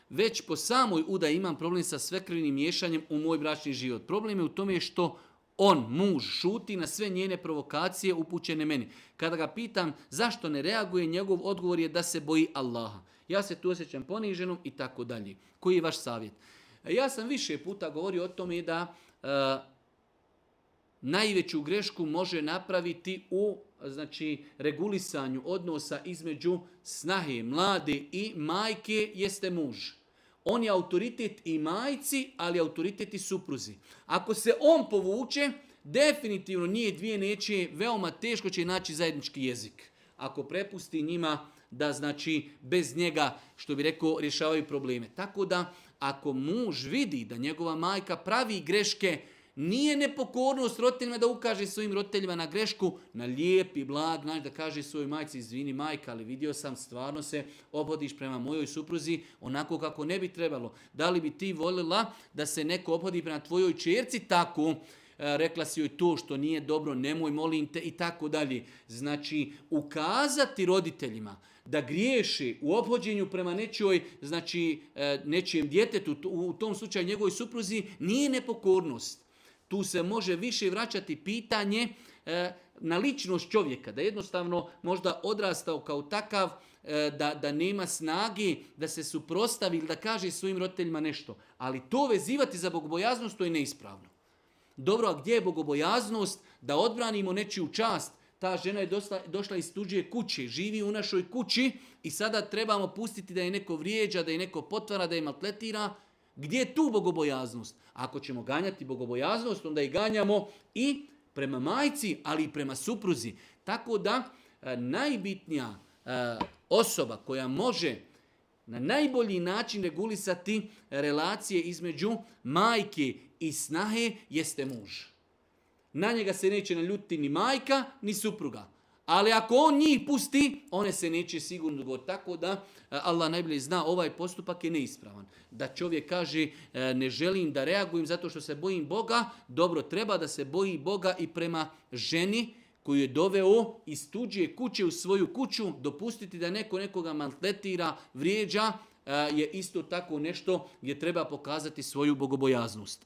Već po samoj udaji imam problem sa svekrvnim miješanjem u moj bračni život. Problem je u tome što on, muž, šuti na sve njene provokacije upućene meni. Kada ga pitam zašto ne reaguje, njegov odgovor je da se boji Allaha. Ja se tu osjećam poniženom i tako dalje. Koji je vaš savjet? Ja sam više puta govorio o tome da najveću grešku može napraviti u regulisanju odnosa između snahe, mlade i majke jeste muž. On je autoritet i majci, ali autoritet i supruzi. Ako se on povuče, definitivno nije dvije neće, veoma teško će naći zajednički jezik. Ako prepusti njima da bez njega, što bi rekao, rješavaju probleme. Tako da, ako muž vidi da njegova majka pravi greške, nije nepokornost roditeljima da ukaže svojim roditeljima na grešku, na lijep i blag način da kaže svojoj majci, izvini majka, ali vidio sam, stvarno se obhodiš prema mojoj supruzi onako kako ne bi trebalo. Da li bi ti voljela da se neko obhodi prema tvojoj čerci tako? Rekla si joj to što nije dobro, nemoj, molim te i tako dalje. Znači, ukazati roditeljima da griješi u ophođenju prema nečijem djetetu, u tom slučaju njegovoj supruzi, nije nepokornost. Tu se može više vraćati pitanje na ličnost čovjeka, da jednostavno možda odrastao kao takav, da nema snage, da se suprotstavi ili da kaže svojim roditeljima nešto. Ali to vezivati za bogobojaznost, to je neispravno. Dobro, a gdje je bogobojaznost? Da odbranimo nečiju čast. Ta žena je došla iz tuđe kuće, živi u našoj kući i sada trebamo pustiti da je neko vrijeđa, da je neko potvara, da je maltretira. Gdje je tu bogobojaznost? Ako ćemo ganjati bogobojaznost, onda i ganjamo i prema majci, ali i prema supruzi. Tako da najbitnija osoba koja može na najbolji način regulisati relacije između majke i snahe jeste muž. Na njega se neće naljutiti ni majka, ni supruga. Ali ako on njih pusti, one se neće sigurno dogoditi. Tako da Allah najbolje zna, ovaj postupak je neispravan. Da čovjek kaže ne želim da reagujem zato što se bojim Boga, dobro, treba da se boji Boga i prema ženi koju je doveo iz tuđe kuće u svoju kuću. Dopustiti da neko nekoga maltretira, vrijeđa je isto tako nešto gdje treba pokazati svoju bogobojaznost.